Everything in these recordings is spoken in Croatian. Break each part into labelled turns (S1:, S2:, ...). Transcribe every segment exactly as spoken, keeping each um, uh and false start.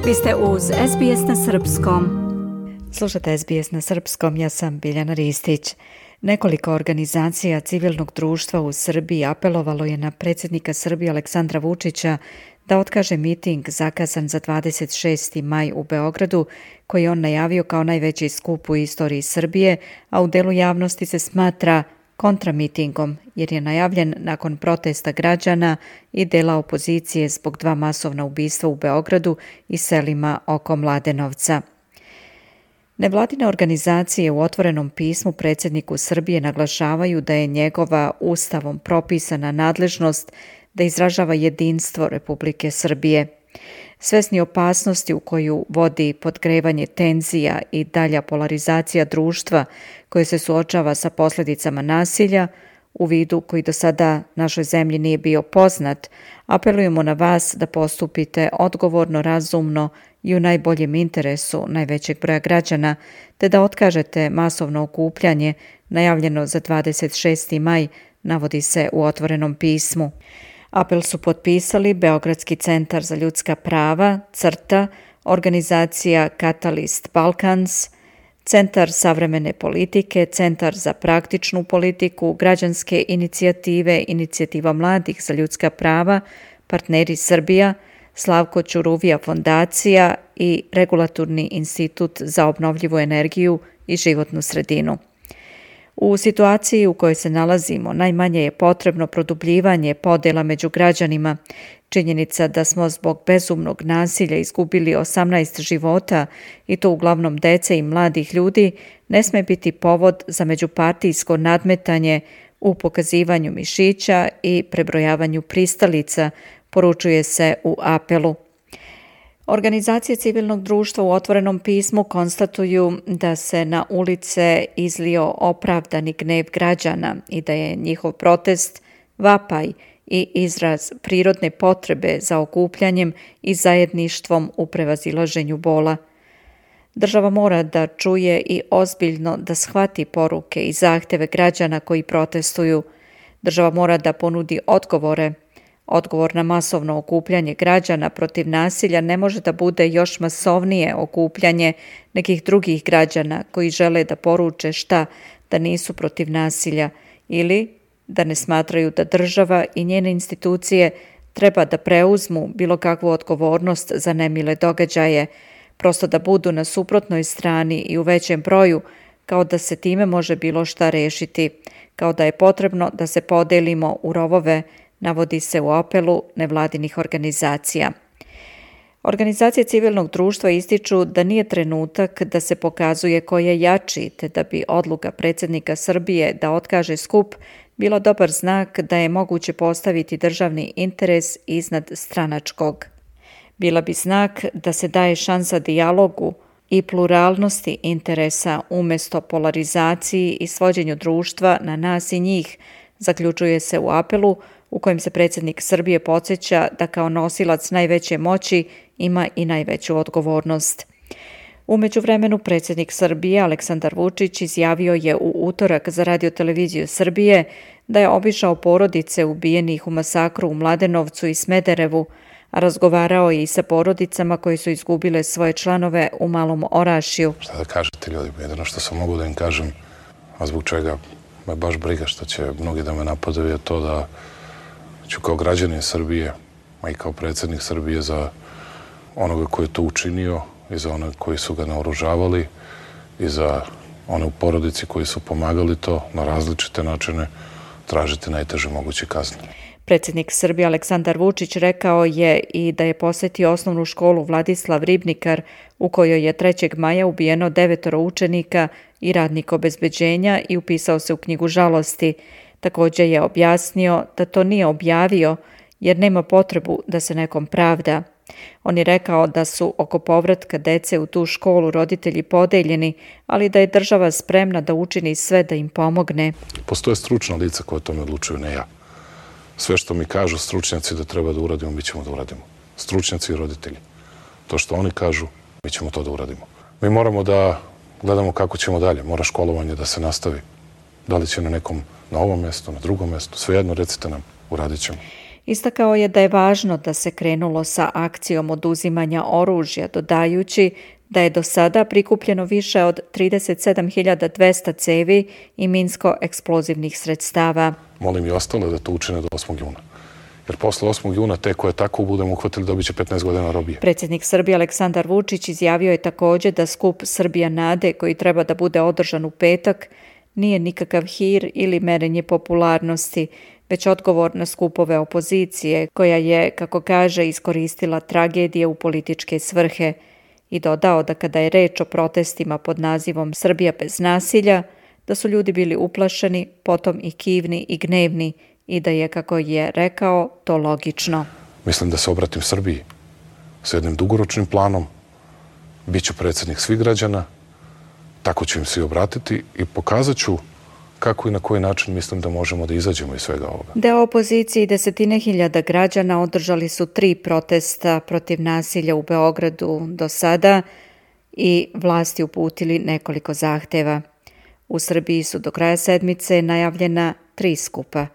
S1: Vi ste uz S B S na srpskom.
S2: Slušate S B S na srpskom, ja sam Biljana Ristić. Nekoliko organizacija civilnog društva u Srbiji apelovalo je na predsjednika Srbije Aleksandra Vučića da otkaže miting zakazan za dvadeset šesti maj u Beogradu, koji je on najavio kao najveći skup u istoriji Srbije, a u delu javnosti se smatra kontramitingom, jer je najavljen nakon protesta građana i dela opozicije zbog dva masovna ubistva u Beogradu i selima oko Mladenovca. Nevladine organizacije u otvorenom pismu predsjedniku Srbije naglašavaju da je njegova ustavom propisana nadležnost da izražava jedinstvo Republike Srbije. Svesni opasnosti u koju vodi podgrevanje tenzija i dalja polarizacija društva koje se suočava sa posljedicama nasilja, u vidu koji do sada našoj zemlji nije bio poznat, apelujemo na vas da postupite odgovorno, razumno i u najboljem interesu najvećeg broja građana, te da otkažete masovno okupljanje najavljeno za dvadeset šesti maj, navodi se u otvorenom pismu. Apel su potpisali Beogradski centar za ljudska prava, CRTA, organizacija Catalyst Balkans, Centar savremene politike, Centar za praktičnu politiku, građanske inicijative, Inicijativa mladih za ljudska prava, Partneri Srbija, Slavko Ćuruvija fondacija i Regulatorni institut za obnovljivu energiju i životnu sredinu. U situaciji u kojoj se nalazimo, najmanje je potrebno produbljivanje podjela među građanima. Činjenica da smo zbog bezumnog nasilja izgubili osamnaest života, i to uglavnom dece i mladih ljudi, ne sme biti povod za međupartijsko nadmetanje u pokazivanju mišića i prebrojavanju pristalica, poručuje se u apelu. Organizacije civilnog društva u otvorenom pismu konstatuju da se na ulice izlio opravdani gnev građana i da je njihov protest vapaj i izraz prirodne potrebe za okupljanjem i zajedništvom u prevazilaženju bola. Država mora da čuje i ozbiljno da shvati poruke i zahtjeve građana koji protestuju. Država mora da ponudi odgovore. Odgovor na masovno okupljanje građana protiv nasilja ne može da bude još masovnije okupljanje nekih drugih građana koji žele da poruče šta, da nisu protiv nasilja ili da ne smatraju da država i njene institucije treba da preuzmu bilo kakvu odgovornost za nemile događaje, prosto da budu na suprotnoj strani i u većem broju, kao da se time može bilo šta rešiti, kao da je potrebno da se podelimo u rovove, navodi se u apelu nevladinih organizacija. Organizacije civilnog društva ističu da nije trenutak da se pokazuje ko je jači, te da bi odluka predsjednika Srbije da otkaže skup bilo dobar znak da je moguće postaviti državni interes iznad stranačkog. Bila bi znak da se daje šansa dijalogu i pluralnosti interesa umjesto polarizaciji i svođenju društva na nas i njih, zaključuje se u apelu u kojem se predsjednik Srbije podsjeća da kao nosilac najveće moći ima i najveću odgovornost. U međuvremenu predsjednik Srbije Aleksandar Vučić izjavio je u utorak za Radio-televiziju Srbije da je obišao porodice ubijenih u masakru u Mladenovcu i Smederevu, a razgovarao je i sa porodicama koji su izgubile svoje članove u Malom Orašju.
S3: Šta da kažete ljudi, jedino što sam mogu da im kažem, a zbog čega me baš briga što će mnogi da me napadaju, je to da ću kao građanin Srbije, a i kao predsjednik Srbije za onoga koji je to učinio i za one koji su ga naoružavali i za one u porodici koji su pomagali to na različite načine tražiti najteže moguće kazne.
S2: Predsjednik Srbije Aleksandar Vučić rekao je i da je posjetio osnovnu školu Vladislav Ribnikar u kojoj je trećeg maja ubijeno devetoro učenika i radnik obezbeđenja i upisao se u knjigu žalosti. Također je objasnio da to nije objavio jer nema potrebu da se nekom pravda. On je rekao da su oko povratka dece u tu školu roditelji podeljeni, ali da je država spremna da učini sve da im pomogne.
S3: Postoje stručna lica koja o tome odlučuju, ne ja. Sve što mi kažu stručnjaci da treba da uradimo, mi ćemo da uradimo. Stručnjaci i roditelji. To što oni kažu, mi ćemo to da uradimo. Mi moramo da gledamo kako ćemo dalje. Mora školovanje da se nastavi. Da li će na nekom, na ovom mjestu, na drugom mjestu, svejedno recite nam, uradit ćemo.
S2: Istakao je da je važno da se krenulo sa akcijom oduzimanja oružja, dodajući da je do sada prikupljeno više od trideset sedam hiljada dvesta cevi i minsko-eksplozivnih sredstava.
S3: Molim i ostale da to učine do osmog juna. Jer posle osmog juna te koje tako budemo uhvatili dobit će petnaest godina robije.
S2: Predsjednik Srbije Aleksandar Vučić izjavio je također da skup Srbija nade, koji treba da bude održan u petak, nije nikakav hir ili merenje popularnosti, već odgovor na skupove opozicije, koja je, kako kaže, iskoristila tragedije u političke svrhe, i dodao da kada je reč o protestima pod nazivom Srbija bez nasilja, da su ljudi bili uplašeni, potom i kivni i gnevni, i da je, kako je rekao, to logično.
S3: Mislim da se obratim Srbiji sa jednim dugoročnim planom, bit ću predsjednik svih građana, tako ću im se i obratiti i pokazat ću kako i na koji način mislim da možemo da izađemo iz svega ovoga.
S2: Deo opozicije i desetine hiljada građana održali su tri protesta protiv nasilja u Beogradu do sada i vlasti uputili nekoliko zahteva. U Srbiji su do kraja sedmice najavljena tri skupa.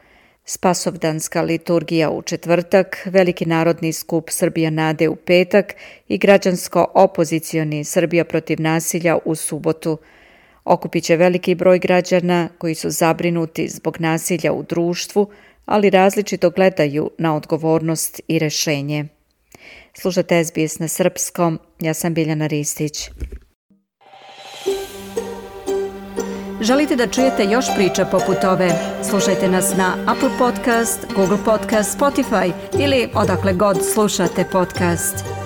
S2: Spasovdanska liturgija u četvrtak, veliki narodni skup Srbija nade u petak i građansko-opozicioni Srbija protiv nasilja u subotu. Okupit će veliki broj građana koji su zabrinuti zbog nasilja u društvu, ali različito gledaju na odgovornost i rešenje. Slušate S B S na srpskom, ja sam Biljana Ristić.
S1: Želite da čujete još priča poput ove? Slušajte nas na Apple Podcast, Google Podcast, Spotify ili odakle god slušate podcast.